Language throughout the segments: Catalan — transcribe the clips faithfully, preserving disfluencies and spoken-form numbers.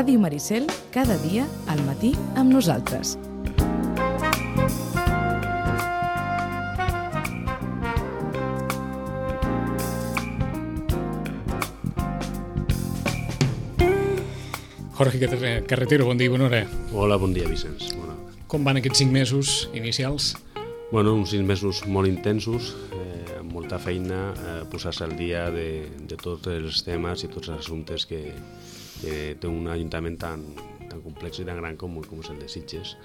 Ràdio Maricel, cada dia al matí amb nosaltres. Jorge Carretero, bon dia i bona hora. Hola, bon dia, Vicenç. Bona hora. Com van aquests cinc mesos inicials? Bueno, uns cinc mesos molt intensos, eh, amb molta feina, eh, posar-se al dia de, de tots els temes i tots els assumptes que, que té un ajuntament tan, tan complex i tan gran com, com és el de Sitges.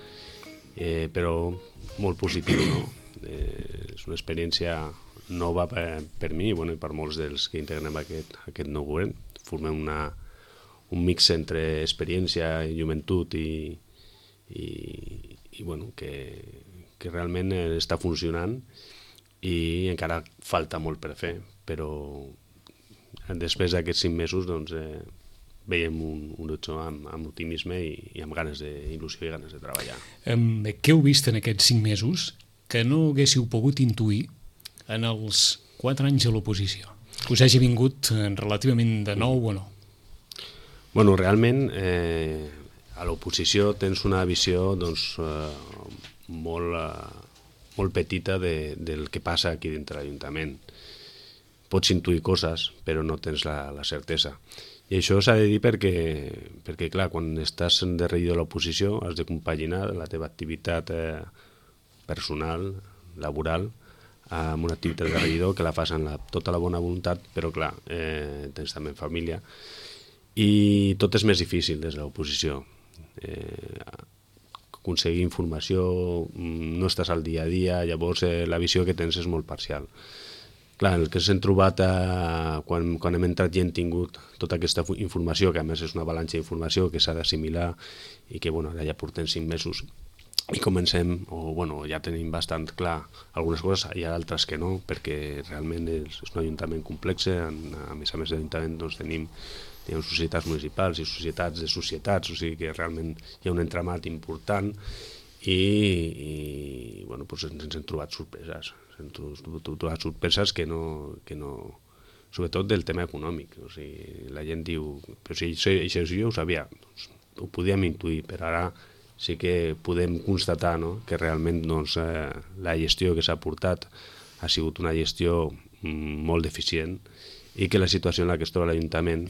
Eh, però molt positiu, no? Eh, és una experiència nova per, per mi i bueno, per molts dels que integrem aquest, aquest nou govern. Formem una un mix entre experiència i joventut i, i, i bueno, que, que realment està funcionant i encara falta molt per fer, però després d'aquests cinc mesos doncs, eh, veiem un, un horitzó amb, amb optimisme i, i amb ganes d'il·lusió i ganes de treballar. Um, què heu vist en aquests cinc mesos que no haguéssiu pogut intuir en els quatre anys a l'oposició? Us hagi vingut relativament de nou o no? Bueno, realment, eh, a l'oposició tens una visió doncs, eh, molt, eh, molt petita de, del que passa aquí dintre l'Ajuntament. Pots intuir coses, però no tens la, la certesa. I això s'ha de dir perquè, perquè, clar, quan estàs de regidor de l'oposició has de compaginar la teva activitat eh, personal, laboral, amb una activitat de regidor que la fas amb la, tota la bona voluntat, però, clar, eh, tens també família. I tot és més difícil des de l'oposició. Eh, aconseguir informació, no estàs al dia a dia, llavors eh, la visió que tens és molt parcial. Clar, el que s'hem trobat eh, quan, quan hem entrat i hem tingut tota aquesta informació, que a més és una avalanxa d'informació que s'ha d'assimilar i que bueno, ja portem cinc mesos i comencem, o bueno, ja tenim bastant clar algunes coses, hi ha altres que no, perquè realment és, és un ajuntament complex, a més a més de l'ajuntament doncs, tenim Hi ha societats municipals i societats de societats, o sigui que realment hi ha un entramat important i, i bueno, doncs ens hem trobat sorpreses. Ens hem trobat sorpreses que no, que no... sobretot del tema econòmic. O sigui, la gent diu, però si això, això jo ho sabia, doncs, ho podíem intuir, però ara sí que podem constatar no? que realment doncs, eh, la gestió que s'ha portat ha sigut una gestió mm, molt deficient i que la situació en la que es troba l'Ajuntament,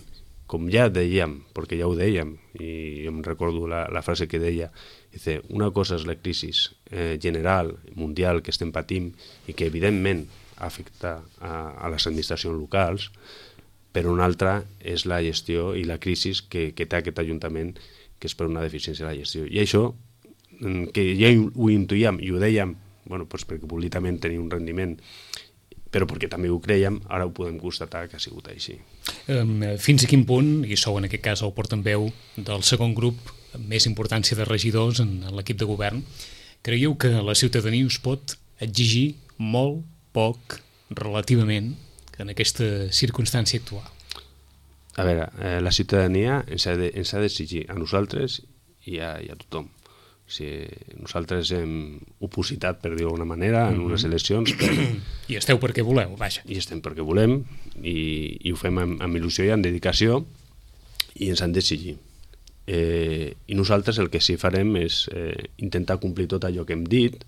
com ja dèiem, perquè ja ho dèiem, i jo em recordo la, la frase que deia, dice, una cosa és la crisi eh, general, mundial, que estem patint i que evidentment afecta a, a les administracions locals, però una altra és la gestió i la crisi que, que té aquest Ajuntament, que és per una deficiència de la gestió. I això, que ja ho intuïem i ho dèiem, bueno, doncs perquè políticament tenia un rendiment, però perquè també ho creiem, ara ho podem constatar que ha sigut així. Um, fins a quin punt, i sou en aquest cas el portaveu del segon grup amb més importància de regidors en, en l'equip de govern, creieu que la ciutadania us pot exigir molt poc relativament en aquesta circumstància actual? A veure, eh, la ciutadania ens ha, de, ens ha d'exigir a nosaltres i a, i a tothom. O sigui, nosaltres hem opositat, per dir-ho d'alguna manera, en unes eleccions. Per... I esteu perquè voleu, vaja. I estem perquè volem, i, i ho fem amb, amb il·lusió i amb dedicació, i ens han d'exigir. Eh, I nosaltres el que sí farem és eh, intentar complir tot allò que hem dit,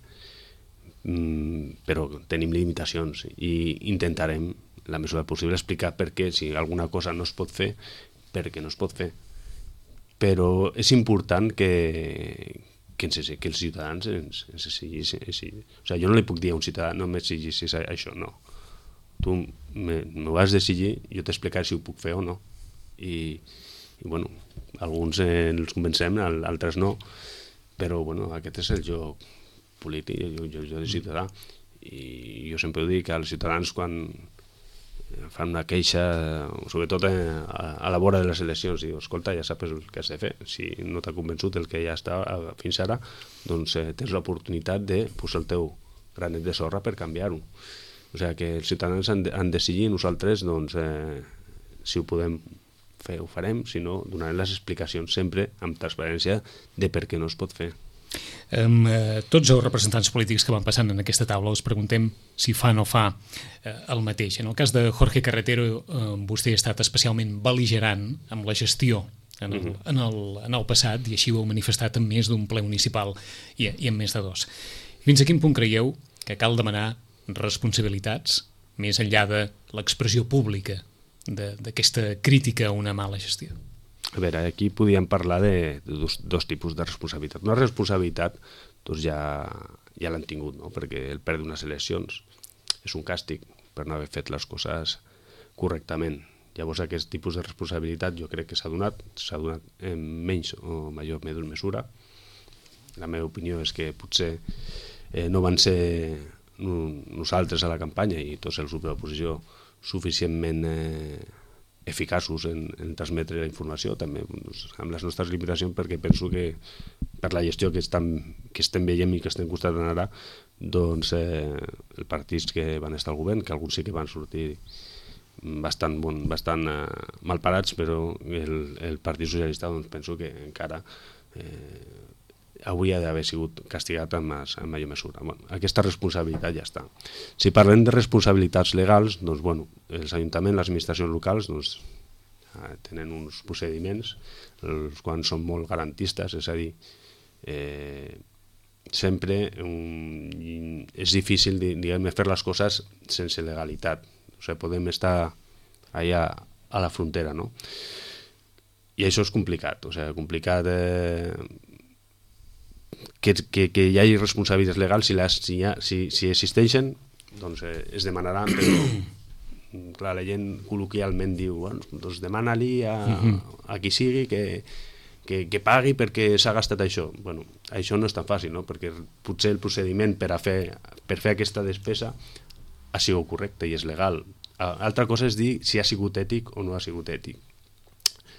mm, però tenim limitacions, i intentarem, la mesura possible, explicar per què, si alguna cosa no es pot fer, per què no es pot fer. Però és important que... que, ens, que els ciutadans ens, ens exigissin. O sigui, jo no li puc dir a un ciutadà no m'exigissis això, no. Tu m'ho has d'exigir, jo t'explicaré si ho puc fer o no. I, i bueno, alguns eh, els convencem, altres no, però bueno, aquest és el joc polític, jo, jo, jo de ciutadà. I jo sempre ho dic als ciutadans quan fan una queixa, sobretot a, a la vora de les eleccions, i diu, escolta, ja saps el que has de fer. Si no t'ha convençut el que ja està fins ara, doncs eh, tens l'oportunitat de posar el teu granet de sorra per canviar-ho. O sigui que els ciutadans han de, han de decidir, nosaltres, doncs, eh, si ho podem fer, ho farem, si no, donarem les explicacions sempre amb transparència de per què no es pot fer. Um, eh, tots els representants polítics que van passant en aquesta taula us preguntem si fa o no fa eh, el mateix. En el cas de Jorge Carretero, eh, vostè ha estat especialment bel·ligerant amb la gestió en el, en el, en el passat, i així ho heu manifestat en més d'un ple municipal i, i en més de dos. Fins a quin punt creieu que cal demanar responsabilitats més enllà de l'expressió pública d'aquesta crítica a una mala gestió? A veure, aquí podíem parlar de, de dos, dos tipus de responsabilitat. Una responsabilitat doncs ja, ja l'han tingut, no? Perquè el perdre unes eleccions és un càstig per no haver fet les coses correctament. Llavors aquest tipus de responsabilitat jo crec que s'ha donat, s'ha donat en menys o major mesura. La meva opinió és que potser eh, no van ser nosaltres a la campanya i tots els grups de l'oposició suficientment eh, eficaços en, en transmetre la informació, també doncs, amb les nostres limitacions, perquè penso que per la gestió que, estan, que estem veient i que estem constatant ara, doncs eh, els partits que van estar al govern, que alguns sí que van sortir bastant, bon, bastant eh, mal parats, però el, el Partit Socialista doncs, penso que encara eh, hauria d'haver sigut castigat amb, amb major mesura. Bueno, aquesta responsabilitat ja està. Si parlem de responsabilitats legals, doncs, bueno, els ajuntaments, les administracions locals doncs, tenen uns procediments, els quals són molt garantistes, és a dir, eh, sempre um, és difícil diguem, fer les coses sense legalitat. O sigui, podem estar allà a la frontera, no? I això és complicat, o sigui, complicat eh, que, que, que hi hagi responsabilitats legals, si, les, si, ha, si, si existeixen, doncs eh, es demanaran, però clar, la gent col·loquialment diu, bueno, doncs demana-li a, a qui sigui que, que, que pagui perquè s'ha gastat això. Bueno, això no és tan fàcil, no? Perquè potser el procediment per, a fer, per fer aquesta despesa ha sigut correcte i és legal. Altra cosa és dir si ha sigut ètic o no ha sigut ètic.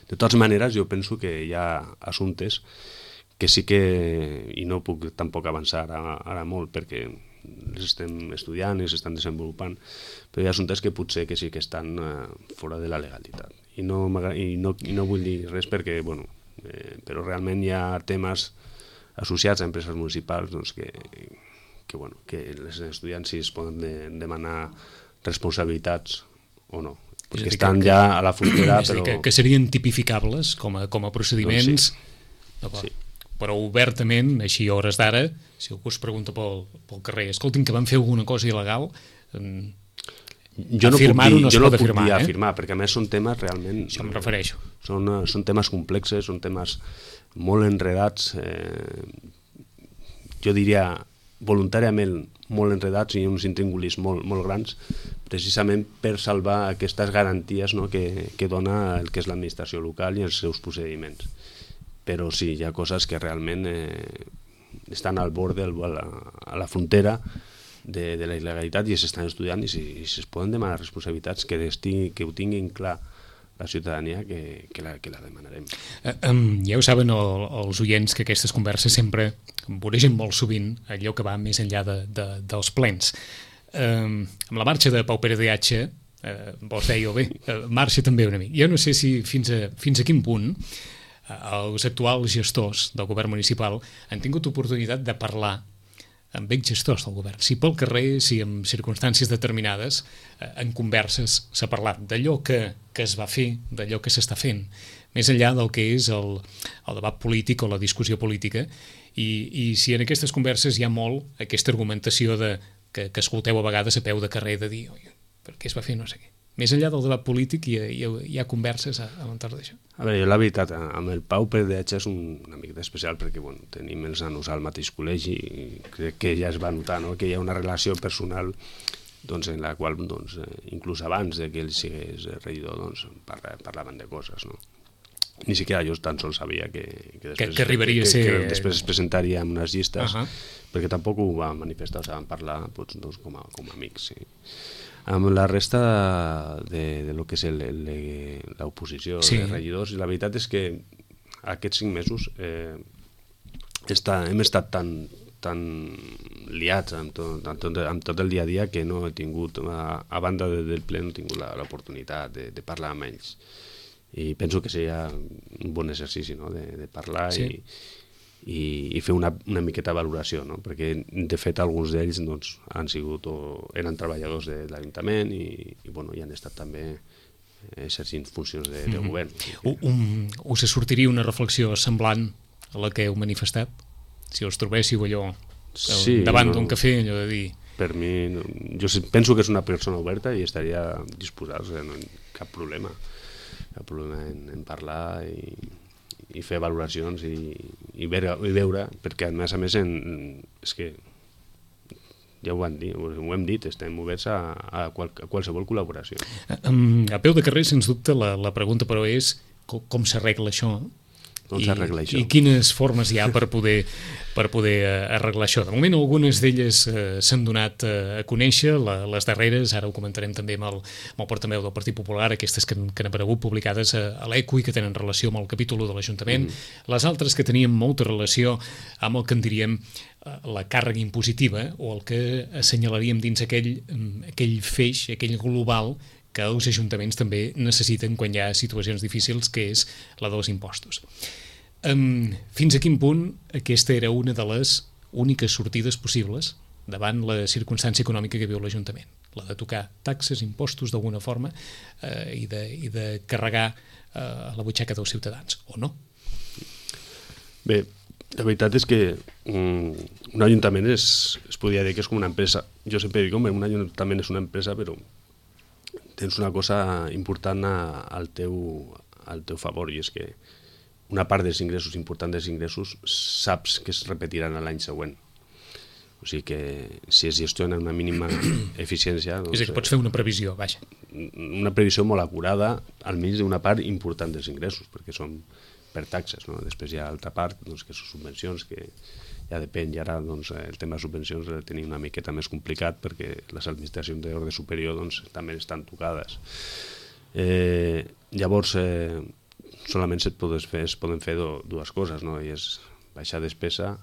De totes maneres, jo penso que hi ha assumptes que sí que, i no puc tampoc avançar ara, ara molt perquè els estem estudiant i s'estan desenvolupant, però hi ha assumptes que potser que sí que estan uh, fora de la legalitat. I no, i no, i no vull dir res perquè, bueno, eh, però realment hi ha temes associats a empreses municipals doncs, que, que, bueno, que els estudiants si es poden de, demanar responsabilitats o no, perquè estan que, ja a la frontera. És però... que, que serien tipificables com a, com a procediments, doncs sí. Sí. Però obertament, així a hores d'ara, si algú es pregunta pel, pel carrer, escoltin que van fer alguna cosa il·legal, jo no puc dir, no jo no puc afirmar, dir eh? afirmar, perquè a més són temes realment... Això em refereixo. Són, són temes complexes, són temes molt enredats, eh, jo diria voluntàriament molt enredats i uns intríngulis molt, molt grans, precisament per salvar aquestes garanties, no, que, que dona el que és l'administració local i els seus procediments. Però sí, hi ha coses que realment eh, estan al bord, del, a, la, a la frontera de, de la il·legalitat i s'estan estudiant i si, si es poden demanar responsabilitats que, estigui, que ho tinguin clar la ciutadania que, que, la, que la demanarem. Uh, um, ja ho saben el, els oients que aquestes converses sempre voregen molt sovint allò que va més enllà de, de, dels plens. Um, amb la marxa de Pau Pere de H, uh, vos dèieu bé, uh, marxa també una mica. Jo no sé si fins a, fins a quin punt uh, els actuals gestors del govern municipal han tingut oportunitat de parlar amb exgestors del govern. Si pel carrer, si en circumstàncies determinades, eh, en converses s'ha parlat d'allò que, que es va fer, d'allò que s'està fent, més enllà del que és el, el debat polític o la discussió política, i, i si en aquestes converses hi ha molt aquesta argumentació de, que, que escolteu a vegades a peu de carrer de dir per què es va fer no sé què. Més enllà del debat polític hi ha, hi ha, hi ha converses a, a l'entorn d'això. A veure, jo la veritat, amb el Pau Pere de H és un, una mica especial perquè bueno, tenim els nanos al mateix col·legi i crec que ja es va notar, no?, que hi ha una relació personal doncs, en la qual doncs, inclús abans de que ell sigués regidor doncs, parla, parlaven de coses. No? Ni siquiera jo tan sols sabia que, que, després, que, que arribaria que, a ser... que després es presentaria en unes llistes, uh -huh. perquè tampoc ho van manifestar, o sigui, van parlar doncs, doncs, com, a, com a amics, sí. Amb la resta de, de lo que és l'oposició sí. de regidors, i la veritat és que aquests cinc mesos eh, està, hem estat tan, tan liats amb tot, amb, tot, amb tot el dia a dia que no he tingut, a, a banda de, del ple, no he tingut l'oportunitat de, de parlar amb ells. I penso que seria un bon exercici, no?, de, de parlar sí. i i, i fer una, una miqueta valoració, no? Perquè de fet alguns d'ells doncs, han sigut o eren treballadors de l'Ajuntament i, i, bueno, i han estat també exercint funcions de, de govern. Mm-hmm. Um, us sortiria una reflexió semblant a la que heu manifestat? Si us trobéssiu allò sí, davant no, d'un cafè, allò de dir... Per mi, no, jo penso que és una persona oberta i estaria disposat, o sigui, no hi ha cap problema, cap problema en, en parlar i, i fer valoracions i, i, veure, i veure, perquè a més a més en, és que ja ho, dir, ho hem dit, estem oberts a, a, qual, a qualsevol col·laboració. A, a peu de carrer, sens dubte, la, la pregunta però és com, com s'arregla això? Com s'arregla això? I quines formes hi ha per poder, per poder arreglar això? De moment, algunes d'elles eh, s'han donat eh, a conèixer, la, les darreres, ara ho comentarem també amb el, amb el portaveu del Partit Popular, aquestes que, que han aparegut publicades a, a l'Eco i que tenen relació amb el capítol de l'Ajuntament, mm. les altres que tenien molta relació amb el que en diríem la càrrega impositiva o el que assenyalaríem dins aquell, aquell feix, aquell global que els ajuntaments també necessiten quan hi ha situacions difícils, que és la dels impostos. Um, fins a quin punt aquesta era una de les úniques sortides possibles davant la circumstància econòmica que viu l'Ajuntament? La de tocar taxes, impostos d'alguna forma eh, i, de, i de carregar eh, la butxaca dels ciutadans, o no? Bé, la veritat és que um, un ajuntament és, es podria dir que és com una empresa. Jo sempre dic, home, un ajuntament és una empresa, però tens una cosa important a, al, teu, al teu favor, i és que una part dels ingressos, important dels ingressos, saps que es repetiran l'any següent. O sigui que si es gestiona una mínima eficiència... Doncs, és a dir, que pots fer una previsió, vaja. Una previsió molt acurada, almenys d'una part important dels ingressos, perquè són per taxes, no? Després hi ha altra part, doncs, que són subvencions, que ja depèn, i ara doncs, el tema de subvencions el tenim una miqueta més complicat perquè les administracions d'ordre superior doncs, també estan tocades. Eh, llavors, eh, solament es poden fer, es poden fer do, dues coses, no? I és baixar despesa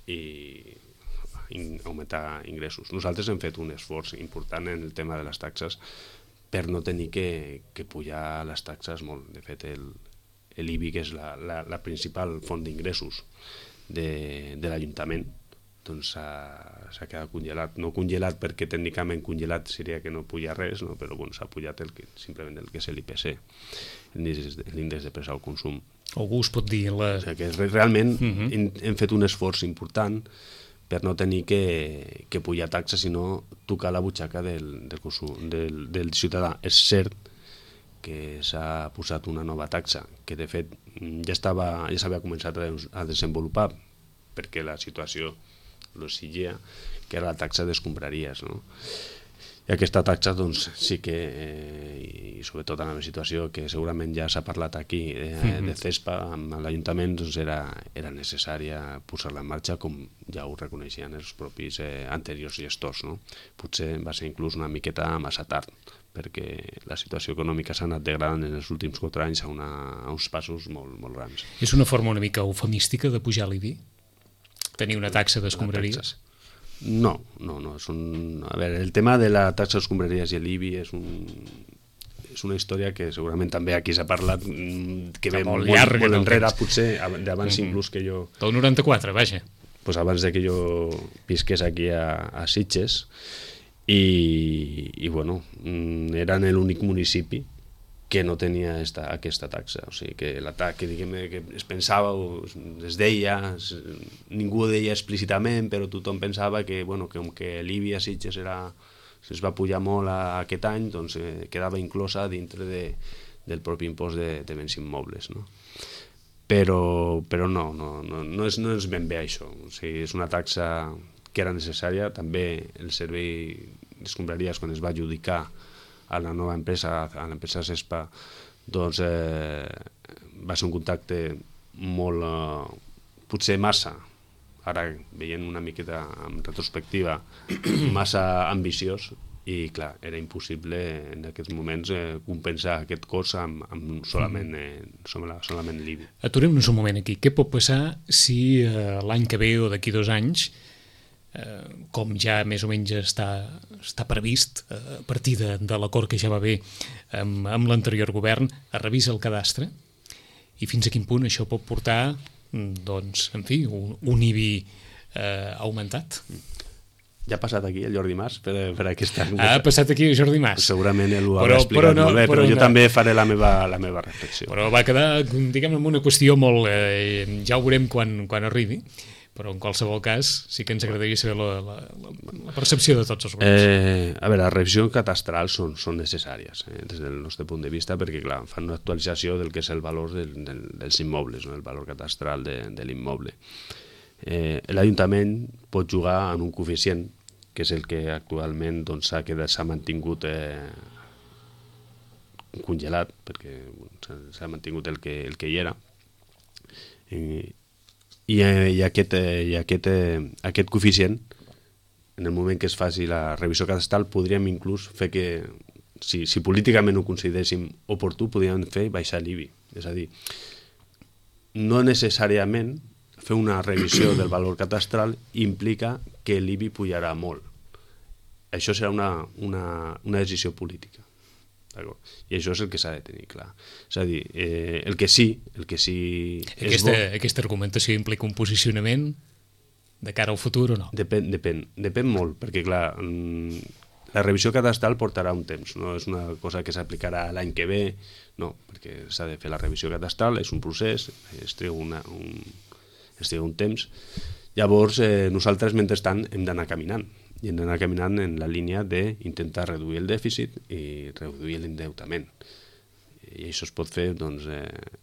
i in, augmentar ingressos. Nosaltres hem fet un esforç important en el tema de les taxes per no tenir que, que pujar les taxes molt. De fet, el, l'I B I, que és la, la, la principal font d'ingressos de, de l'Ajuntament, doncs s'ha quedat congelat. No congelat perquè tècnicament congelat seria que no puja res, no? Però bueno, s'ha pujat el que, simplement el que és l'I P C, l'índex de preu al consum. Algú us pot dir... La... O sigui que realment uh-huh. hem, hem fet un esforç important per no tenir que, que pujar taxes, sinó tocar la butxaca del, del, consum, del, del ciutadà. És cert que s'ha posat una nova taxa, que de fet ja estava ja s'havia començat a, a desenvolupar perquè la situació l'exigia, que era la taxa d'escombraries, no? I aquesta taxa, doncs, sí que, eh, i sobretot en la situació que segurament ja s'ha parlat aquí, eh, de CESPA amb l'Ajuntament, doncs era, era necessària posar-la en marxa, com ja ho reconeixien els propis eh, anteriors gestors, no? Potser va ser inclús una miqueta massa tard, perquè la situació econòmica s'ha anat degradant en els últims quatre anys a, una, a uns passos molt, molt grans. És una forma una mica eufemística de pujar l'I B I? Tenir una taxa d'escombraries? No, no, no. És un... A veure, el tema de la taxa d'escombraries i l'I B I és, un... és una història que segurament també aquí s'ha parlat, que ve molt, molt, molt enrere, potser d'abans mm-hmm. inclús que jo... Del noranta-quatre, vaja. Pues abans de que jo visqués aquí a, a Sitges, i, i bueno, eren l'únic municipi que no tenia esta, aquesta taxa. O sigui, que la taxa, que, diguem, que es pensava, o es deia, es, ningú ho deia explícitament, però tothom pensava que, bueno, que com que l'I B I a Sitges era, es va pujar molt a, a aquest any, doncs eh, quedava inclosa dintre de, del propi impost de, de béns immobles, no? Però, però no, no, no, no, és, no és ben bé això. O sigui, és una taxa que era necessària. També el servei d'escombraries, quan es va adjudicar a la nova empresa, a l'empresa CESPA, doncs eh, va ser un contacte molt, eh, potser massa, ara veient una miqueta en retrospectiva, massa ambiciós, i clar, era impossible en aquests moments eh, compensar aquest cost amb, amb solament, eh, solament l'I B I. Aturem-nos un moment aquí. Què pot passar si eh, l'any que ve o d'aquí dos anys, eh, com ja més o menys està, està previst eh, a partir de, de l'acord que ja va haver amb, amb l'anterior govern, es revisa el cadastre i fins a quin punt això pot portar, doncs, en fi, un, un I B I eh, augmentat? Ja ha passat aquí el Jordi Mas per, per aquesta... Ha passat aquí el Jordi Mas. Segurament ell ho haurà explicat no, molt bé, però, però jo no. també faré la meva, la meva reflexió. Però va quedar, diguem, amb una qüestió molt... Eh, ja ho veurem quan, quan arribi, però en qualsevol cas sí que ens agradaria saber la, la, la percepció de tots els grups. Eh, a veure, les revisions catastrals són, són necessàries eh, des del nostre punt de vista perquè, clar, fan una actualització del que és el valor del, del, dels immobles, no? El valor catastral de, de l'immoble. Eh, L'Ajuntament pot jugar en un coeficient que és el que actualment doncs, s'ha doncs, s'ha mantingut eh, congelat, perquè s'ha mantingut el que, el que hi era. I, i, i, aquest, i aquest, aquest coeficient, en el moment que es faci la revisió cadastral, podríem inclús fer que, si, si políticament ho consideréssim oportú, podríem fer baixar l'I B I. És a dir, no necessàriament fer una revisió del valor catastral implica que l'I B I pujarà molt. Això serà una, una, una decisió política. I això és el que s'ha de tenir clar. És a dir, eh, el que sí... El que sí aquesta, aquesta argumentació implica un posicionament de cara al futur o no? Depèn, depèn, depèn molt, perquè clar, la revisió cadastral portarà un temps, no és una cosa que s'aplicarà l'any que ve, no, perquè s'ha de fer la revisió cadastral, és un procés, es treu una, un, es treu un temps. Llavors, eh, nosaltres, mentrestant, hem d'anar caminant, i hem d'anar caminant en la línia d'intentar reduir el dèficit i reduir l'endeutament. I això es pot fer, doncs, eh,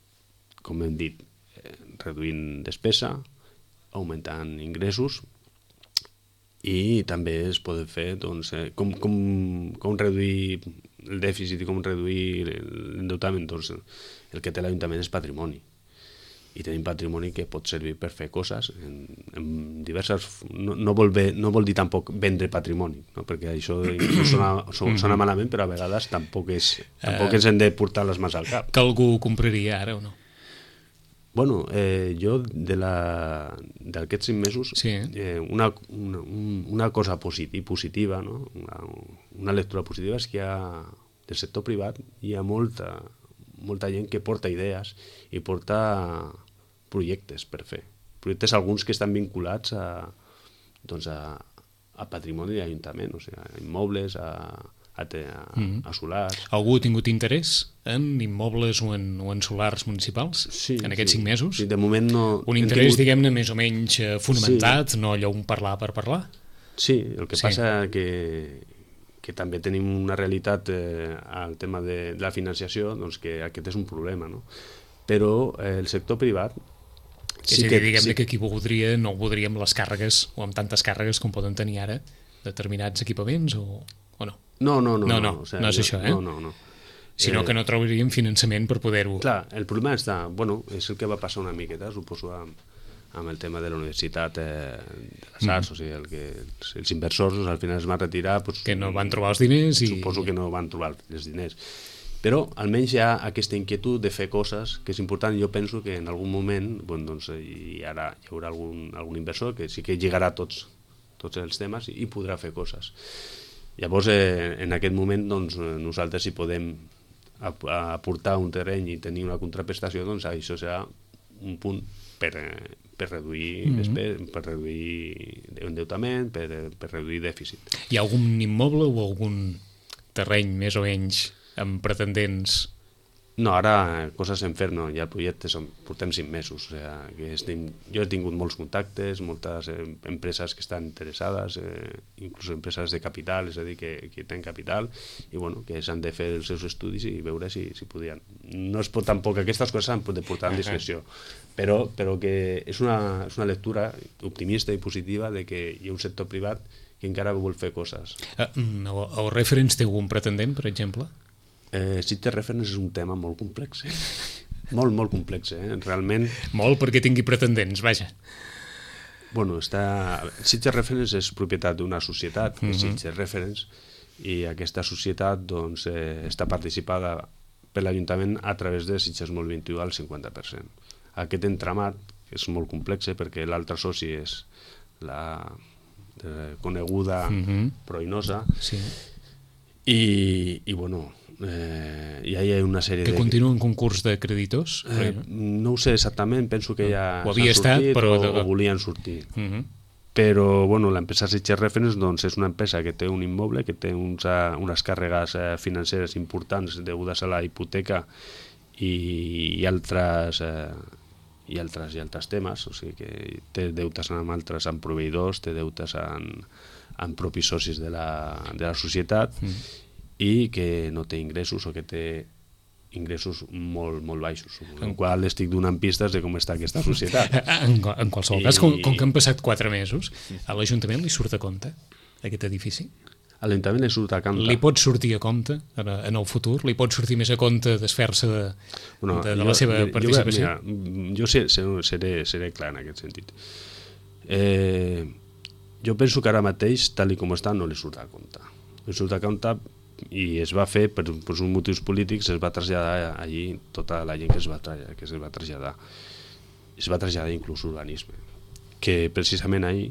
com hem dit, eh, reduint despesa, augmentant ingressos, i també es pot fer doncs, eh, com, com, com reduir el dèficit i com reduir l'endeutament. Doncs, el que té l'Ajuntament és patrimoni. I tenim patrimoni que pot servir per fer coses en, en diverses... No, no, vol bé, no vol dir tampoc vendre patrimoni, no? Perquè això sona, sona malament, però a vegades tampoc, és, tampoc ens hem de portar les mans al cap. Que algú compraria ara o no? Bueno, eh, jo de d'aquests cinc mesos, sí. eh, una, una, una cosa positiva, positiva no? una, una lectura positiva és que hi ha, del sector privat hi ha molta, molta gent que porta idees i porta projectes per fer. Projectes alguns que estan vinculats a, doncs a, a patrimoni d'Ajuntament, o sigui, a immobles, a, a, a, mm-hmm. a solars. Algú ha tingut interès en immobles o en, o en solars municipals sí, en aquests sí. cinc mesos? Sí, de moment no... Un interès, tingut... diguem-ne, més o menys fonamentat, sí. no allò un parlar per parlar? Sí, el que sí. passa que que també tenim una realitat eh, al tema de, de la financiació, doncs que aquest és un problema, no? Però eh, el sector privat... Sí és a dir, diguem-ne sí. que qui voldria no ho voldria amb les càrregues o amb tantes càrregues com poden tenir ara determinats equipaments o, o no? No, no, no. No, no, no, o sigui, no és això, eh? No, no, no. Sinó eh, que no trobaríem finançament per poder-ho... Clar, el problema està... Bueno, és el que va passar una miqueta, suposo, amb, amb el tema de la Universitat eh, de les Arts, mm. o sigui, el que, els, els inversors doncs, al final es van retirar... Doncs, que no van trobar els diners i... Suposo que no van trobar els diners. Però almenys hi ha aquesta inquietud de fer coses que és important. Jo penso que en algun moment bueno, doncs, hi, ara, hi haurà algun, algun inversor que sí que lligarà tots, tots els temes i, i podrà fer coses. Llavors, eh, en aquest moment, doncs, nosaltres si podem aportar un terreny i tenir una contraprestació, doncs això serà un punt per, per reduir mm-hmm. despes, per reduir endeutament, per, per reduir dèficit. Hi ha algun immoble o algun terreny més o menys amb pretendents? No, ara coses en fer no, ja el projecte són, portem cinc mesos, o sigui, que estem, jo he tingut molts contactes, moltes eh, empreses que estan interessades, eh, inclús empreses de capital, és a dir, que, que tenen capital i bueno, que s'han de fer els seus estudis i veure si, si podien. No es pot tampoc, aquestes coses s'han de portar en discreció, però, però que és una, és una lectura optimista i positiva de que hi ha un sector privat que encara vol fer coses. Uh, el, el Reference té algun pretendent, per exemple? Eh, Sitges Reference és un tema molt complex, eh? molt, molt complex, eh? Realment... Molt perquè tingui pretendents, vaja. Bueno, està... Sitges Reference és propietat d'una societat, mm-hmm. Sitges Reference, i aquesta societat doncs, eh, està participada per l'Ajuntament a través de Sitges Mol vint-i-u al cinquanta per cent. Aquest entramat és molt complex eh, perquè l'altre soci és la eh, coneguda mm-hmm. Proinosa, sí. i, i bueno... Eh, ja hi ha una sèrie que de... Que continua en concurs de creditors? Eh, no ho sé exactament, penso que ja ho havia s'han sortit estat, però... o, o volien sortir. Uh-huh. però bueno, l'empresa Sitges Reference doncs, és una empresa que té un immoble, que té uns, uh, unes càrregues uh, financeres importants degudes a la hipoteca i, i altres uh, i altres i altres temes, o sigui que té deutes amb altres, amb proveïdors, té deutes amb, amb propis socis de la, de la societat mm. i que no té ingressos o que té ingressos molt, molt baixos, en el qual estic donant pistes de com està aquesta societat. En, en qualsevol I... cas, com, com que han passat quatre mesos, a l'Ajuntament li surt a compte aquest edifici? A l'Ajuntament li surt a compte. Li pot sortir a compte en, en el futur? Li pot sortir més a compte desfer-se de, bueno, de, de jo, la seva jo, participació? Jo, mira, jo seré, seré clar en aquest sentit. Eh, jo penso que ara mateix, tal com està, no li surt a compte. Li surt a compte i es va fer per, per uns motius polítics, es va traslladar allí tota la gent que es va, que es va traslladar es va traslladar inclús urbanisme, que precisament ahir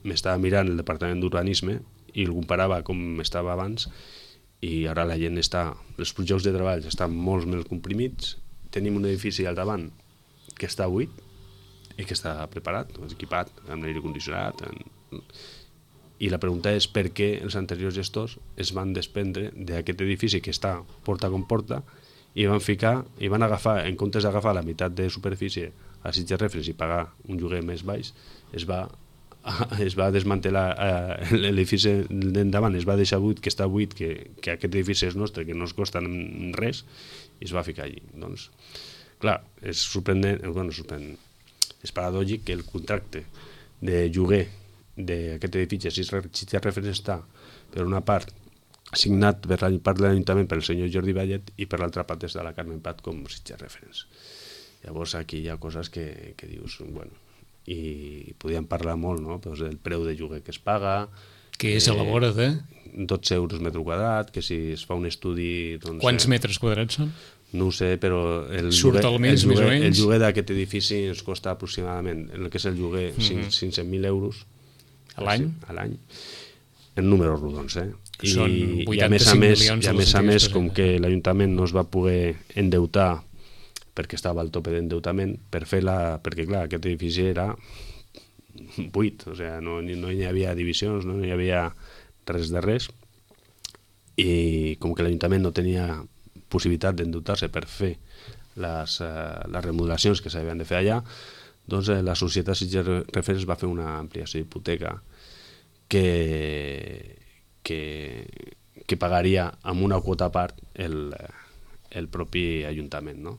m'estava mirant el departament d'urbanisme i el comparava com estava abans i ara la gent està, els projectes de treball estan molt més comprimits, tenim un edifici al davant que està buit i que està preparat, equipat amb l'aire condicionat en... i la pregunta és per què els anteriors gestors es van desprendre d'aquest edifici que està porta com porta i van ficar, i van agafar, en comptes d'agafar la meitat de superfície a Sitges Reference i pagar un lloguer més baix, es va, es va desmantelar eh, l'edifici d'endavant, es va deixar buit, que està buit, que, que aquest edifici és nostre, que no es costa res, i es va ficar allí. Doncs, clar, és sorprenent, bueno, sorprenent, és paradògic que el contracte de lloguer d'aquest edifici Sitges Reference està, per una part, signat per la part de l'Ajuntament per el senyor Jordi Vallet i per l'altra part des de la Carmen Prat com Sitges Reference. Llavors aquí hi ha coses que, que dius, bueno, i podíem parlar molt, no?, pues del preu de lloguer que es paga, que és a la vora de dotze euros metre quadrat, que si es fa un estudi... Doncs, quants eh, metres quadrats són? No ho sé, però el surt lloguer, al mes, el lloguer, més o menys? El lloguer d'aquest edifici ens costa aproximadament, el que és el lloguer, mm-hmm. cinc cents mil euros a l'any? A l'any, en números rodons, eh? I, són vuitanta-cinc milions. I a més a més, com que l'Ajuntament no es va poder endeutar perquè estava al tope d'endeutament, per fer la... perquè clar, aquest edifici era buit, o sigui, no, no hi havia divisions, no hi havia res de res, i com que l'Ajuntament no tenia possibilitat d'endeutar-se per fer les, uh, les remodelacions que s'havien de fer allà, doncs eh, la societat Sitges Reference va fer una ampliació d'hipoteca que, que, que pagaria amb una quota a part el, el propi Ajuntament, no?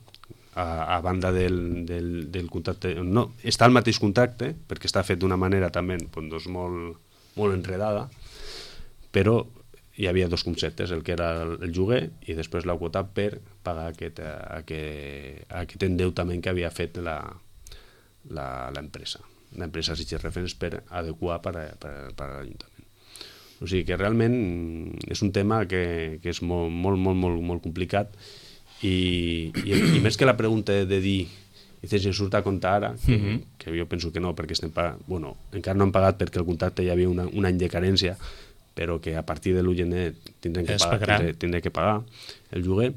A, a banda del, del, del contracte, no, està al mateix contracte, perquè està fet d'una manera també doncs, molt, molt enredada, però hi havia dos conceptes, el que era el lloguer i després la quota per pagar aquest, aquest, aquest endeutament que havia fet la l'empresa, l'empresa Sitges Reference per adequar per, per, per a l'Ajuntament. O sigui que realment és un tema que, que és molt, molt, molt, molt, molt complicat i, i, i més que la pregunta de dir i si surt a compte ara, que, mm-hmm. que jo penso que no, perquè estem pagant, bueno, encara no han pagat perquè el contracte hi havia una, un any de carència, però que a partir de l'u de gener tindrem que, pagar, tindrem, tindrem que pagar el lloguer.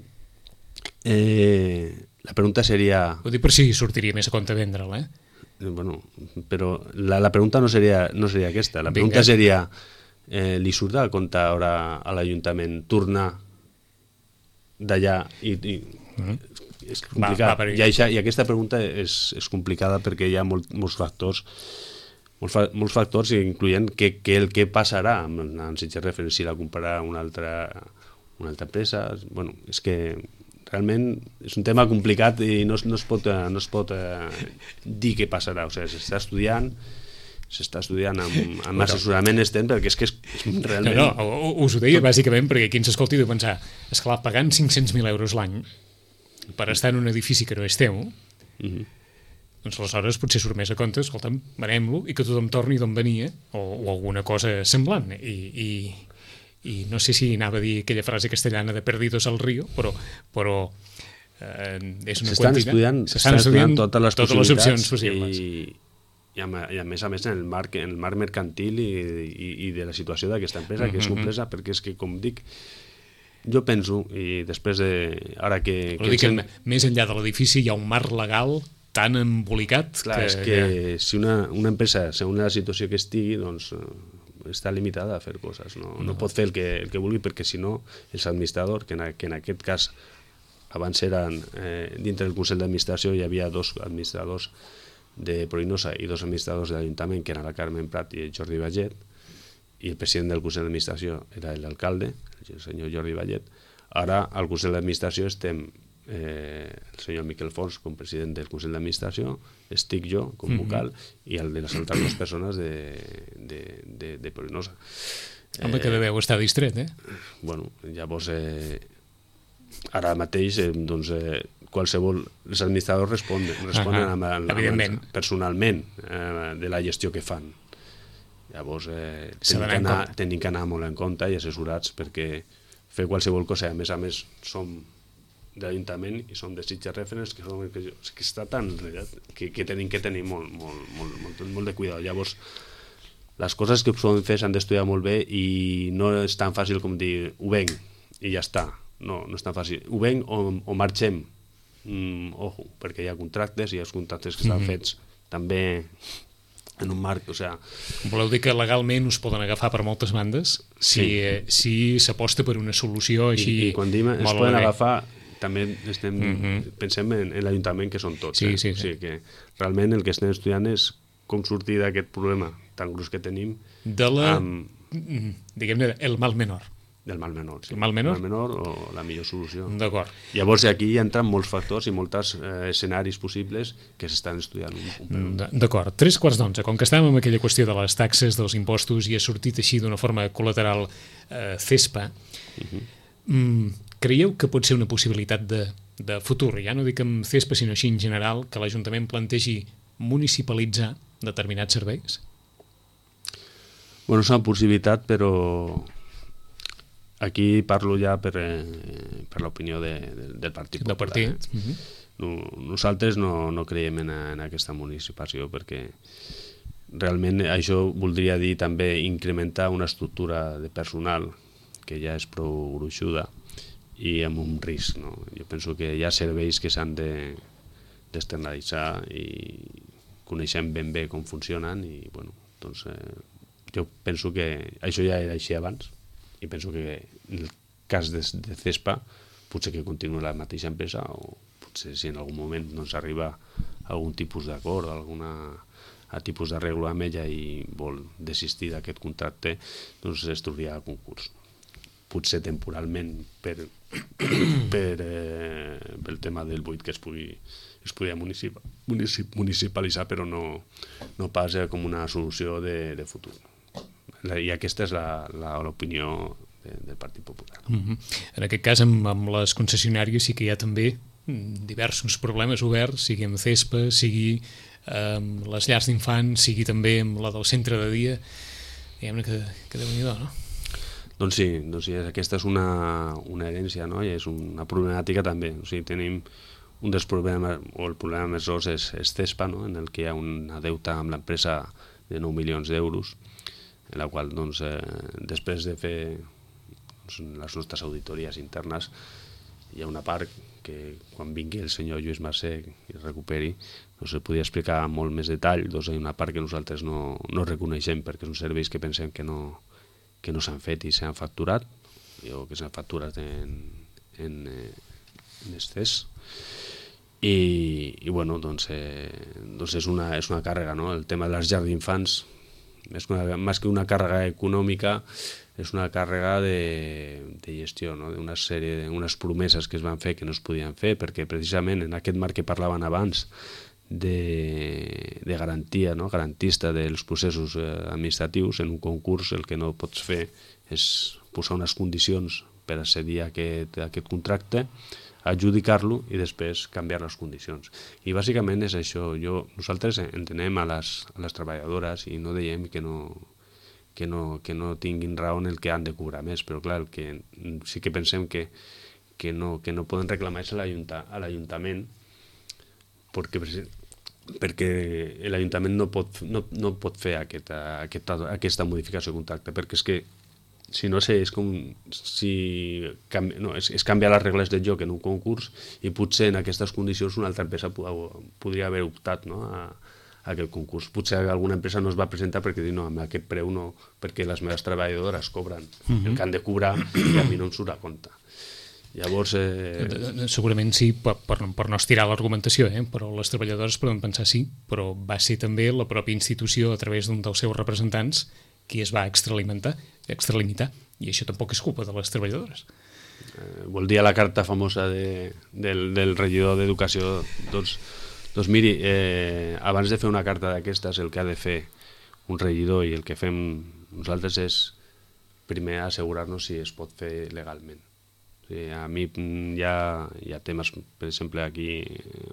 Eh, la pregunta seria... Ho dic per si sortiria més a compte vendre'l, eh? Bueno, però la, la pregunta no seria, no seria aquesta. La pregunta Vinga. seria, eh, li surt a compte ara a l'Ajuntament tornar d'allà i... i mm-hmm. És complicat. Va, va, I, això, I aquesta pregunta és, és complicada perquè hi ha molt, molts factors molts, fa, molts factors, incloent que, que el que passarà amb, amb Sitges Reference si la comprarà una altra, una altra empresa. Bueno, és que realment és un tema complicat i no, no es pot, no es pot eh, dir què passarà. O sigui, s'està estudiant, s'està estudiant amb, amb assessorament extern, perquè és que és, és realment... No, no, us ho deia bàsicament perquè qui ens escolti deu pensar, esclar, pagant cinc-cents mil euros l'any per estar en un edifici que no és teu, mm-hmm. doncs aleshores potser surt més a compte, escolta'm, venem-lo i que tothom torni d'on venia, o, o alguna cosa semblant. I, i, i no sé si anava a dir aquella frase castellana de perdidos al río, però, però eh, és una s'estan estudiant, s'estan estudiant totes les totes les opcions possibles. I, i, a, i a més a més en el marc, en el marc mercantil i, i, i de la situació d'aquesta empresa, mm-hmm. que és complexa, perquè és que, com dic, jo penso, i després de... Ara que, que, que que més enllà de l'edifici hi ha un marc legal tan embolicat Clar, que... és que si una, una empresa, segons la situació que estigui, doncs està limitada a fer coses, no, no. no pot fer el que, el que vulgui, perquè si no, els administradors, que en, que en aquest cas abans eren, eh, dintre del Consell d'Administració hi havia dos administradors de Pruïnosa i dos administradors de l'Ajuntament, que eren la Carmen Prat i el Jordi Vallet, i el president del Consell d'Administració era l'alcalde, el senyor Jordi Vallet. Ara al Consell d'Administració estem eh, el senyor Miquel Fons com president del Consell d'Administració, estic jo com vocal, mm-hmm. i el de les altres dues persones de, de, de, de Pruïnosa. Home, eh, que deveu estar distret, eh? Bueno, llavors, eh, ara mateix, eh, doncs, eh, qualsevol... Els administradors responen, responen uh -huh. amb, amb, amb, personalment eh, de la gestió que fan. Llavors, eh, tenim, que anar, tenim que anar molt en compte i assessorats, perquè fer qualsevol cosa, a més a més, som de l'Ajuntament i som de Sitges Referents, que, som, que, que està tan que, que tenim que tenir molt, molt, molt, molt, molt de cuidado. Llavors, les coses que poden fer s'han d'estudiar molt bé i no és tan fàcil com dir ho venc i ja està. No, no és tan fàcil. Ho venc o, o marxem. Mm, ojo, perquè hi ha contractes i els contractes que estan mm-hmm. fets també en un marc, o sea... Voleu dir que legalment us poden agafar per moltes bandes si sí. eh, si s'aposta per una solució així... I, i quan diem es poden bé. agafar, també estem, mm-hmm. pensem en, en l'Ajuntament, que són tots. Sí, eh? sí, sí. O sigui que realment el que estem estudiant és com sortir d'aquest problema tan gros que tenim. De la... Amb... diguem-ne, el mal menor. Del mal menor, sí. El mal menor? El mal menor o la millor solució. D'acord. Llavors aquí hi entren molts factors i molts eh, escenaris possibles que s'estan estudiant un, un D'acord. Tres quarts d'onze. Com que estàvem amb aquella qüestió de les taxes, dels impostos, i ha sortit així d'una forma col·lateral eh, CESPA, uh-huh. mm, creieu que pot ser una possibilitat de, de futur, ja no dic amb CESPA, sinó així en general, que l'Ajuntament plantegi municipalitzar determinats serveis? Bueno, és una possibilitat, però... Aquí parlo ja per, eh, per l'opinió de, de, del Partit Popular. Del partit. Eh? Uh-huh. no, nosaltres no, no creiem en, en aquesta municipalització perquè realment això voldria dir també incrementar una estructura de personal que ja és prou gruixuda i amb un risc. No? Jo penso que hi ha serveis que s'han de, d'externalitzar i coneixem ben bé com funcionen i bueno, doncs, eh, jo penso que això ja era així abans i penso que en el cas de, de CESPA potser que continuï la mateixa empresa o potser si en algun moment doncs, arriba a algun tipus d'acord o alguna a tipus d'arreglo amb ella i vol desistir d'aquest contracte, doncs es trobaria a concurs. Potser temporalment per, per eh, pel tema del buit que es pugui es podia municip, municip, municipalitzar, però no, no pas com una solució de, de futur. I aquesta és l'opinió de, del Partit Popular. Mm-hmm. En aquest cas, amb, amb les concessionàries sí que hi ha també diversos problemes oberts, sigui amb CESPA, sigui amb les llars d'infants, sigui també amb la del centre de dia. Diguem-ne que, que déu-n'hi-do, no? Doncs sí, doncs sí, aquesta és una, una herència, no? I és una problemàtica també. O sigui, tenim un dels problemes, o el problema més gros és, és CESPA, no? En el que hi ha una deuta amb l'empresa de nou milions d'euros, en la qual doncs, eh, després de fer doncs, les nostres auditories internes hi ha una part que quan vingui el senyor Lluís Mercè i es recuperi doncs es podria explicar amb molt més detall. Doncs hi ha una part que nosaltres no, no reconeixem perquè són serveis que pensem que no, que no s'han fet i s'han facturat o que s'han facturat en, en, en excés i, i bueno, doncs, eh, doncs és, una, és una càrrega, no? El tema de les llars d'infants més que una, més que una càrrega econòmica és una càrrega de, de gestió, no? D'una sèrie d'unes promeses que es van fer que no es podien fer perquè precisament en aquest marc que parlaven abans de, de garantia, no? Garantista dels processos eh, administratius en un concurs el que no pots fer és posar unes condicions per accedir a aquest, a aquest contracte, adjudicar-lo i després canviar les condicions. I bàsicament és això. Jo, nosaltres entenem a les, a les treballadores i no diem que no, que, no, que no tinguin raó en el que han de cobrar més, però clar, el que sí que pensem que, que, no, que no poden reclamar és a l'Ajuntament perquè, perquè l'Ajuntament no pot, no, no pot fer aquesta, aquesta, aquesta modificació de contracte, perquè és que si no sé, és com si canvi, no, és, és canviar les regles del joc en un concurs i potser en aquestes condicions una altra empresa podria haver optat, no, a, a aquest concurs. Potser alguna empresa no es va presentar perquè diu no, amb aquest preu no, perquè les meves treballadores cobren uh-huh. el que han de cobrar i a mi no em surt a compte. Llavors... Eh... Segurament sí, per, per, per no estirar l'argumentació, eh? Però les treballadores poden pensar sí, però va ser també la pròpia institució a través d'un dels seus representants qui es va extralimitar, extralimitar, i això tampoc és culpa de les treballadores. Eh, vol dir a la carta famosa de, del, del regidor d'Educació, doncs, doncs miri, eh, abans de fer una carta d'aquestes, el que ha de fer un regidor i el que fem nosaltres és primer assegurar-nos si es pot fer legalment. O sigui, a mi hi ha, hi ha temes, per exemple, aquí,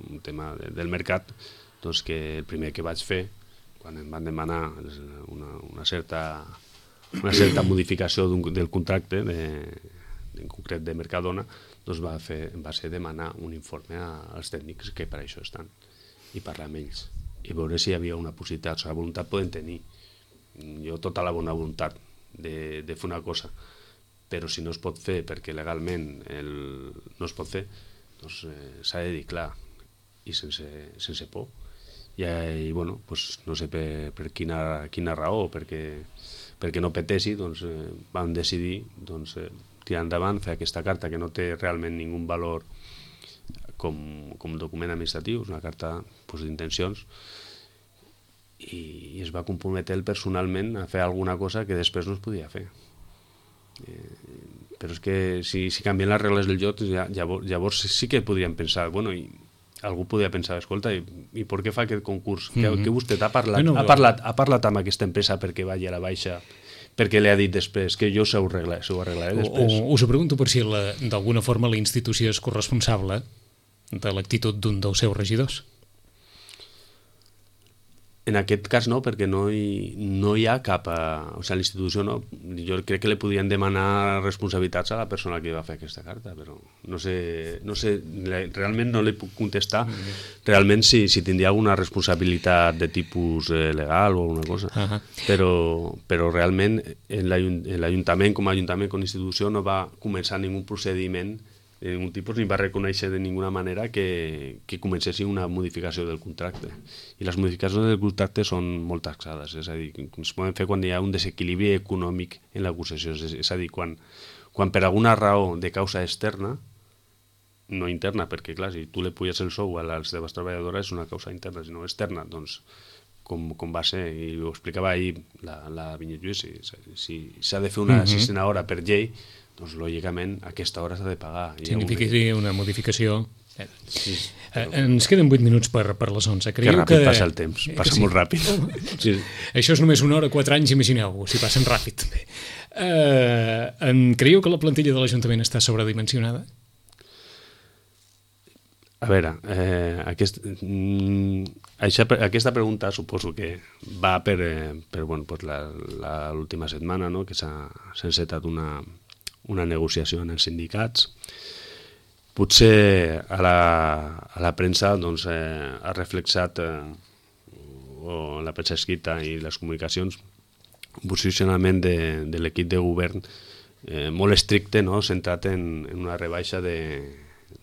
un tema de, del mercat, doncs que el primer que vaig fer quan em van demanar una, una, certa, una certa modificació del contracte, de, en concret de Mercadona, doncs va, fer, va ser demanar un informe als tècnics que per això estan, i parlar amb ells, i veure si hi havia una possibilitat. O sigui, la voluntat poden tenir, jo tota la bona voluntat de, de fer una cosa, però si no es pot fer perquè legalment el, no es pot fer, doncs eh, s'ha de dir clar i sense, sense por. I, i bueno, pues, no sé per, per quina, quina raó, perquè, perquè no petessi, doncs eh, vam decidir doncs, eh, tirar endavant, fer aquesta carta que no té realment ningú valor com, com document administratiu, és una carta pues, d'intencions, i, i es va comprometre ell personalment a fer alguna cosa que després no es podia fer. Eh, però és que si, si canvien les regles del joc, ja, llavors, llavors sí que podríem pensar, bueno, i algú podria pensar, escolta, i, i per què fa aquest concurs? Mm -hmm. Que, que vostè ha parlat, no, no, ha, parlat, ha parlat amb aquesta empresa perquè vagi a la baixa, perquè li ha dit després que jo s'ho arreglaré, arreglaré després? O, o, us ho pregunto per si d'alguna forma la institució és corresponsable de l'actitud d'un dels seus regidors. En aquest cas no, perquè no hi, no hi ha cap... A, o sigui, l'institució no... Jo crec que li podien demanar responsabilitats a la persona que va fer aquesta carta, però no sé... No sé realment no li puc contestar realment si, si tindria alguna responsabilitat de tipus eh, legal o alguna cosa. Uh -huh. però, però realment l'Ajuntament com a Ajuntament, com a institució, no va començar ningú procediment de ningú tipus, ni va reconèixer de ninguna manera que, que comencessi una modificació del contracte. I les modificacions del contracte són molt taxades, és a dir, es poden fer quan hi ha un desequilibri econòmic en la concessió, és, és a dir, quan, quan per alguna raó de causa externa, no interna, perquè clar, si tu li puges el sou a les teves treballadores és una causa interna, sinó externa, doncs com, com va ser, i ho explicava ahir la, la Vinyet Lluís, si s'ha si de fer una uh-huh. sisena hora per llei, doncs lògicament aquesta hora s'ha de pagar. Significaria una modificació. Sí, però... Ens queden vuit minuts per, per les onze. Creieu que ràpid que... passa el temps, passa sí. molt ràpid. Sí. Això és només una hora, quatre anys, imagineu-ho, si passen ràpid. Uh, en creieu que la plantilla de l'Ajuntament està sobredimensionada? A veure, eh, aquest, mm, això, aquesta pregunta suposo que va per, eh, per bueno, pues l'última setmana, no?, que s'ha encetat una una negociació en els sindicats. Potser a la, a la premsa doncs, eh, ha reflexat, eh, o la premsa escrita i les comunicacions, un posicionament de, de l'equip de govern eh, molt estricte, no?, centrat en, en una rebaixa de,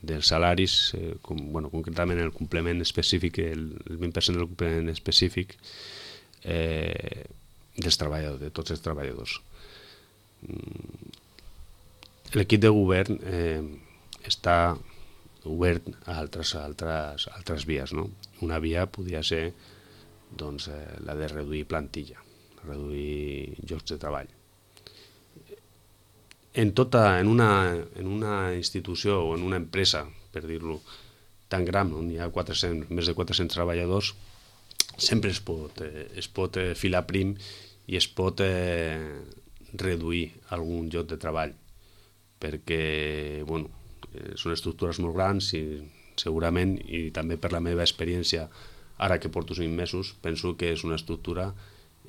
dels salaris, eh, com, bueno, concretament el complement específic, el, el vint per cent del complement específic eh, dels treballadors, de tots els treballadors. L'equip de govern eh, està obert a altres, altres, altres vies, no? Una via podria ser doncs, eh, la de reduir plantilla, reduir llocs de treball. En, tota, en, una, en una institució o en una empresa, per dir-lo, tan gran, on hi ha quatre-cents, més de quatre-cents treballadors, sempre es pot, eh, es pot eh, filar prim i es pot eh, reduir algun lloc de treball, perquè bueno, són estructures molt grans i segurament, i també per la meva experiència, ara que porto cinc mesos, penso que és una estructura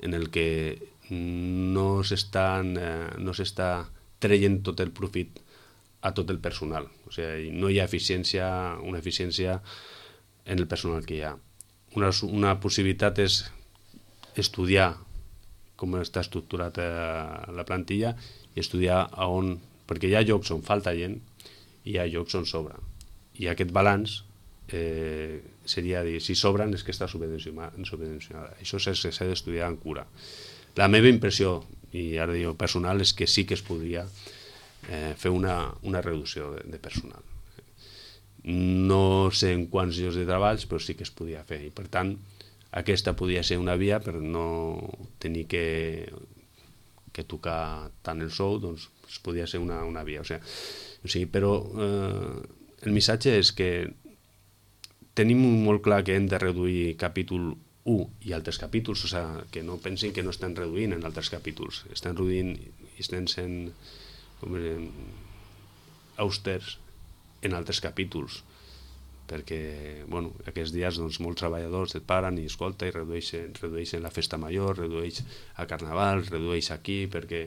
en el que no s'està eh, no s'està traient tot el profit a tot el personal. O sigui, no hi ha eficiència, una eficiència en el personal que hi ha. Una, una possibilitat és estudiar com està estructurat la plantilla i estudiar a on, perquè hi ha llocs on falta gent i hi ha llocs on sobra. I aquest balanç eh, seria dir, si sobren és que està subvencionada. Això s'ha d'estudiar amb cura. La meva impressió, i ara dic personal, és que sí que es podria eh, fer una, una reducció de, de personal. No sé en quants llocs de treballs, però sí que es podia fer. I per tant, aquesta podia ser una via per no tenir que, que tocar tant el sou, doncs es podia ser una, una via. O sigui, o sigui, però eh, el missatge és que tenim molt clar que hem de reduir capítol u i altres capítols, o sigui, que no pensin que no estan reduint en altres capítols, estan reduint i estan sent com direm, austers en altres capítols, perquè bueno, aquests dies doncs, molts treballadors et paren i escolta i redueixen, redueixen la festa major, redueix a Carnaval, redueix aquí, perquè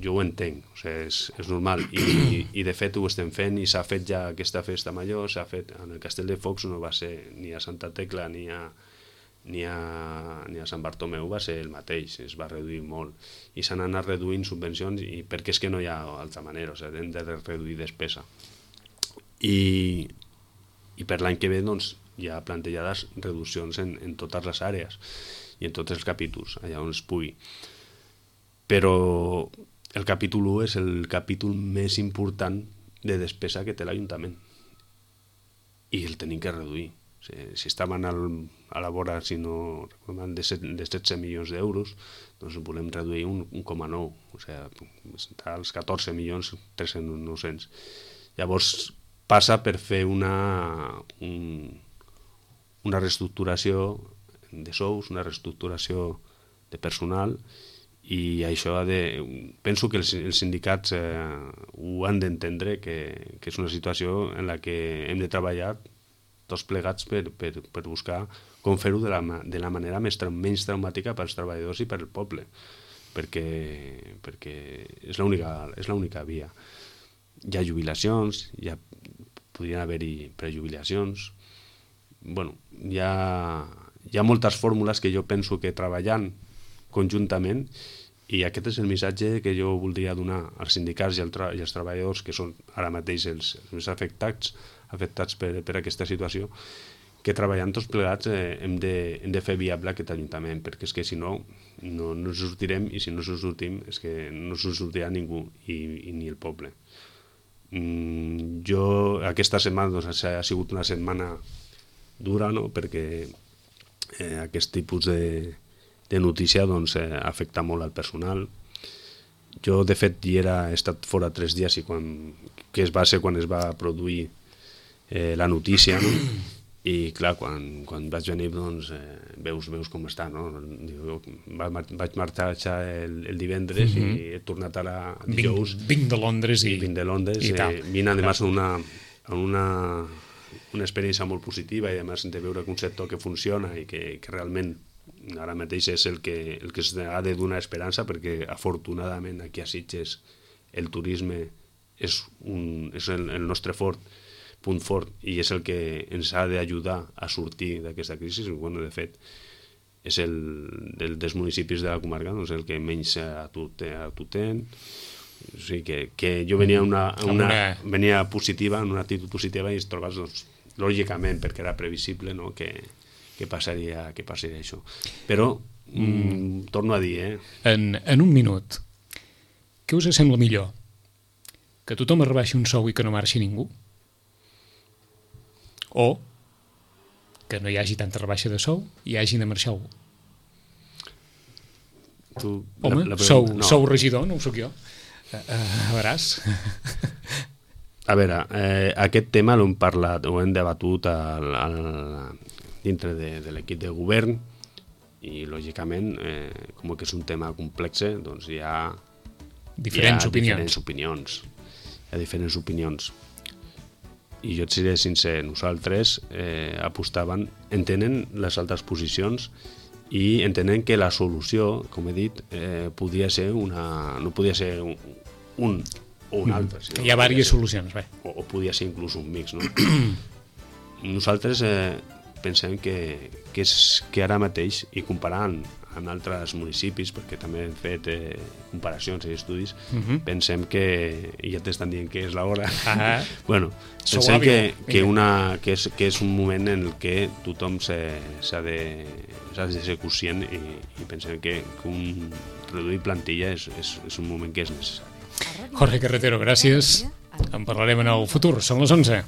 jo ho entenc, o sigui, és, és normal I, i, i de fet ho estem fent i s'ha fet ja aquesta festa major, s'ha fet en el Castell de Focs, no va ser ni a Santa Tecla ni a, ni a, ni a Sant Bartomeu, va ser el mateix, es va reduir molt i s'han anat reduint subvencions i perquè és que no hi ha altra manera, o sigui, hem de reduir despesa i, i per l'any que ve doncs, hi ha plantejades reduccions en, en totes les àrees i en tots els capítols, allà on es pugui, però el capítol u és el capítol més important de despesa que té l'Ajuntament i el tenim que reduir. O sigui, si estaven al, a la vora, si no recordem, de, de setze milions d'euros, doncs volem reduir un, un coma nou, o sigui, està als catorze milions tres-cents nou-cents. Llavors passa per fer una, un, una reestructuració de sous, una reestructuració de personal, i això ha de... penso que els, els sindicats eh, ho han d'entendre, que, que és una situació en la que hem de treballar tots plegats per, per, per buscar com fer-ho de, la, de la manera més, menys traumàtica pels treballadors i per al poble, perquè, perquè és l'única és l'única via. Hi ha jubilacions, hi ha, podrien haver-hi prejubilacions, bueno, hi ha, hi ha moltes fórmules que jo penso que treballant conjuntament, i aquest és el missatge que jo voldria donar als sindicats i, al tra i als treballadors que són ara mateix els, els més afectats, afectats per, per aquesta situació, que treballant tots plegats eh, hem, de, hem de fer viable aquest Ajuntament, perquè és que si no, no, no ens sortirem, i si no ens sortim és que no ens sortirà ningú, i, i ni el poble. Mm, jo, aquesta setmana doncs, ha sigut una setmana dura, no?, perquè eh, aquest tipus de de notícia doncs, eh, afecta molt al personal. Jo, de fet, hi era, he estat fora tres dies i quan, que es va ser quan es va produir eh, la notícia, no? I clar, quan, quan vaig venir doncs, eh, veus, veus com està, no? Diu, va, vaig marxar el, el divendres mm -hmm. i he tornat ara dijous. Vinc, vinc de Londres i... Vinc de Londres, i eh, vinc además en una, en una, una experiència molt positiva i además de veure que un sector que funciona i que, que realment ara mateix és el que, el que ha de donar esperança, perquè afortunadament aquí a Sitges el turisme és, un, és el, el nostre fort, punt fort, i és el que ens ha d'ajudar a sortir d'aquesta crisi. Bueno, de fet, és el del, dels municipis de la comarca doncs, el que menys atur tenen. O sigui que, que jo venia, una, una, una... venia positiva, en una actitud positiva, i es trobes, doncs, lògicament, perquè era previsible, no?, que que passaria, que passaria això. Però, mm, torno a dir, eh? En, en un minut, què us sembla millor? Que tothom es rebaixi un sou i que no marxi ningú? O que no hi hagi tanta rebaixa de sou i hagi de marxar algú? Tu, Home, la, la sou, no. sou regidor, no ho soc jo. Uh, uh, veuràs. A veure, eh, aquest tema l'hem parlat, ho hem debatut al, al, dintre de, de l'equip de govern i, lògicament, eh, com que és un tema complex, doncs hi ha diferents, hi ha opinions. diferents opinions. Hi ha diferents opinions. I jo et seré sincer, nosaltres eh, apostaven, entenen les altres posicions i entenen que la solució, com he dit, eh, podia ser una... no podia ser un, un o un altre. Mm. Hi ha diverses solucions, bé. O, o podia ser inclús un mix, no? Nosaltres eh, pensem que, que, és, que ara mateix, i comparant en altres municipis, perquè també hem fet eh, comparacions i estudis, uh Mhm. -huh. pensem que, i ja t'estan dient que és l'hora, Ah. bueno, Sou pensem hàbil. que, que, Vinga. una, que, és, que és un moment en el que tothom s'ha de, s'ha de ser conscient i, i pensem que, que un reduir plantilla és, és, és un moment que és necessari. Jorge Carretero, gràcies. En parlarem en el futur. Són les onze.